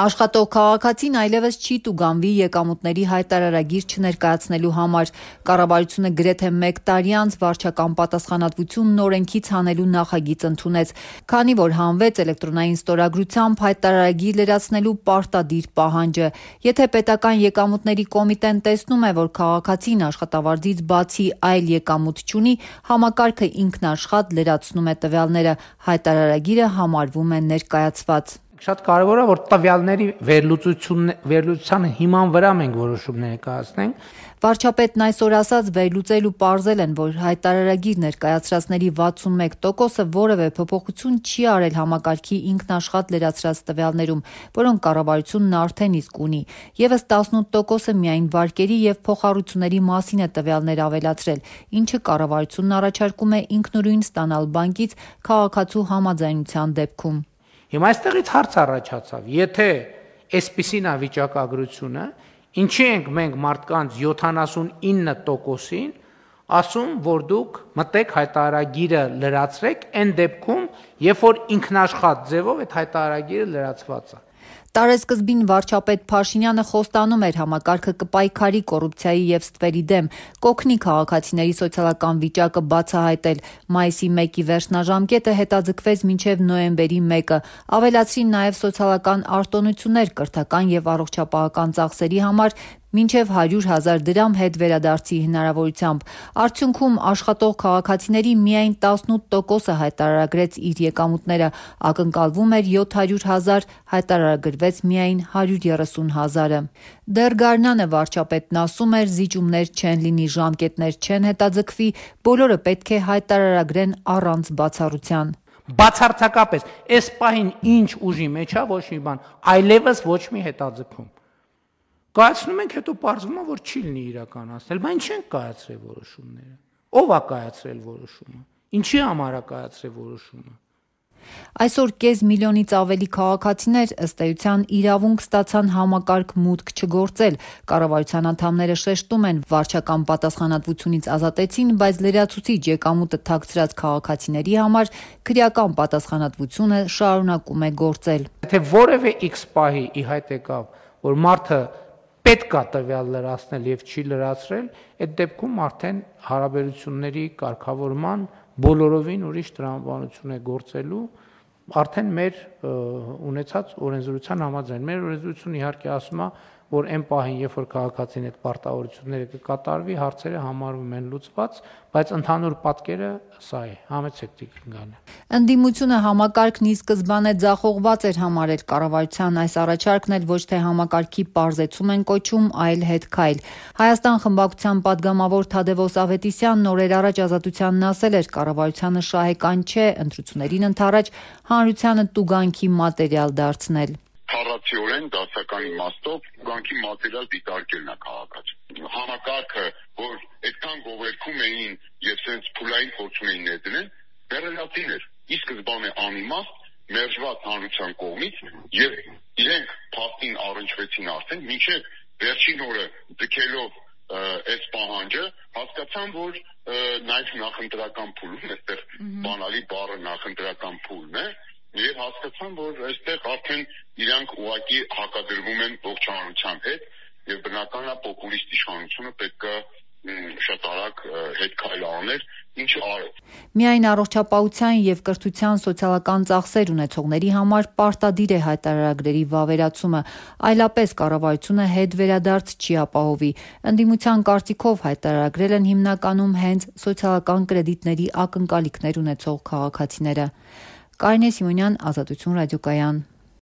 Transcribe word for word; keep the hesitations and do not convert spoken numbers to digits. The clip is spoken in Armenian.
Աշխատող քաղաքացին այլևս չի տուգանվի եկամուտների հայտարարագիր չներկայացնելու համար։ Կառավարությունը գրեթե մեկ տարի անց վարչական պատասխանատվությունն օրենքից հանելու նախագիծ ընդունեց, քանի որ հանվեց էլեկտրոնային ստորագրությամբ հայտարարագիր լրացնելու պարտադիր պահանջը։ Եթե պետական եկամուտների կոմիտեն տեսնում է, որ քաղաքացին աշխատավարձից բացի այլ եկամուտ չունի, համակարգը ինքնաշխատ լրացնում է տվյալները, հայտարարագիրը համարվում է ներկայացված։ Շատ կարևոր է, որ տվյալների վերլուծության հիման վրա մենք որոշում ներկայացնենք։ Վարչապետն այսօր ասաց, վերլուծել ու պարզել են, որ հայտարարագիր ներկայացրածների վաթսունմեկ տոկոսը որևէ փոփոխություն չի արել համակարգի ինքնաշխատ լրացրած տվյալներում, որոնք կառավարությունն արդեն իսկ ունի։ Եվս տասնութ տոկոսը միայն վարկերի եւ փոխառությունների մասին է տվյալներ ավելացրել, ինչը կառավարությունն առաջարկում է ինքնուրույն ստանալ բանկից քաղաքացու համաձայնության դեպքում։ Հիմա այստեղից հարց առաջացավ, եթե այսպիսին է վիճակագրությունը, ինչի ենք մենք մարդկանց յոթանասունինը տոկոսին ասում, որ դուք մտեք հայտարարագիրը լրացրեք այն դեպքում, երբ որ ինքնաշխատ ձևով այդ հայտարարագիրը լրացված է։ Տարեսկզբին վարչապետ Փաշինյանը խոստանում էր համակարգը կպայքարի կոռուպցիայի եւ ստվերի դեմ, կօգնի քաղաքացիների սոցիալական վիճակը բացահայտել։ Մայիսի մեկի վերջնաժամկետը հետաձգվեց մինչև նոյեմբերի մեկը, ավելացրին նաեւ սոցիալական արտոնություններ կրթական եւ առողջապահական ծախսերի համար մինչև հարյուր հազար դրամ հետ վերադարձի հնարավորությամբ։ Արդյունքում աշխատող քաղաքացիների միայն տասնութ տոկոսը հայտարարագրեց իր եկամուտները, ակնկալվում էր յոթ հարյուր հազար, հայտարարագրվեց միայն հարյուր երեսուն հազարը։ Դեռ գարնանը վարչապետն ասում էր, զիջումներ չեն լինի, ժամկետներ չեն հետաձգվի, բոլորը պետք է հայտարարագրեն առանց բացառության։ Բացարձակապես, այս պահին ինչ ուժի մեջ է, ոչ մի բան, այլևս ոչ մի հետաձգում։ Կայացնում ենք, հետո պարզվում է, որ չի լինի իրականացնել, բայց ինչ են կայացրել որոշումները։ Ո՞վ է կայացրել որոշումը։ Ինչի համար է կայացրել որոշումը։ Այսօր կես միլիոնից ավելի քաղաքացիներ ըստ էության իրավունք ստացան համակարգ մուտք չգործել։ Կառավարության անդամները շեշտում են, վարչական պատասխանատվությունից ազատեցին, բայց լրացուցիչ եկամուտը թաքցրած քաղաքացիների համար քրեական պատասխանատվությունը շարունակում է գործել։ Եթե որևէ X պահի ի հայտ եկավ, որ մարդը պետք է տվյալ լրացնել եւ չի լրացրել, այդ դեպքում արդեն հարաբերությունների կարգավորման բոլորովին ուրիշ տրամաբանություն է գործելու, արդեն մեր ունեցած օրենսդրության համաձայն։ Մեր օրենսդրությունը իհարկե ասում է, որ այն պահին, երբ որ քաղաքացին այդ պարտավորությունները կկատարվի, հարցերը համարվում են լուծված, բայց ընդհանուր պատկերը սա է։ Համեցեք Տիկին Գալյան։ Ընդդիմությունը համակարգն ի սկզբանե ձախողված էր համարել, կառավարության այս առաջարկն էլ ոչ թե համակարգի պարզեցում են կոչում, այլ հետքայլ։ Հայաստան խմբակցության падգամավոր Թադևոս Ավետիսյանն օրեր առաջ Ազատությանն ասել էր, կառավարությանը շահեկան չէ ընտրություններին ընդառաջ հանրությանը տուգանքի մատերիալ դարձնել։ Քառացիորեն դասական իմաստով գանքի մատերիալ դիտարկելն է քաղաքացի։ Համակարգը, որ այդքան գովերքում էին եւ sense փուլային փորձում էին ներդնել, դերելատին էր։ Ի սկզբանե անիմաստ, մերժված հանրության կողմից եւ իրենք փաստին առնչվեցին արդեն, մինչեւ վերջին օրը ձգելով այս պահանջը, հասկացան, որ նաեւ նախընտրական փուլում, այստեղ բանալի բառը նախընտրական փուլն է, եւ հասկացան, որ այստեղ արդեն իրանք ուղղակի հակադրվում են ողջ հանրության հետ եւ բնական է պոպուլիստ իշխանությունը պետք է շատ արագ հետ քայլ աներ, ինչը արեց։ Միայն առողջապահության եւ կրթության սոցիալական ծախսեր ունեցողների համար պարտադիր է հայտարարագրերի վավերացումը, այլապես կառավարությունը հետ վերադարձ չի ապահովի։ Ընդդիմության կարծիքով հայտարարագրել են հիմնականում հենց սոցիալական կրեդիտների ակնկալիքներ ունեցող քաղաքացիները։ Կարինե Սիմոնյան, Ազատություն ռադիոկայան։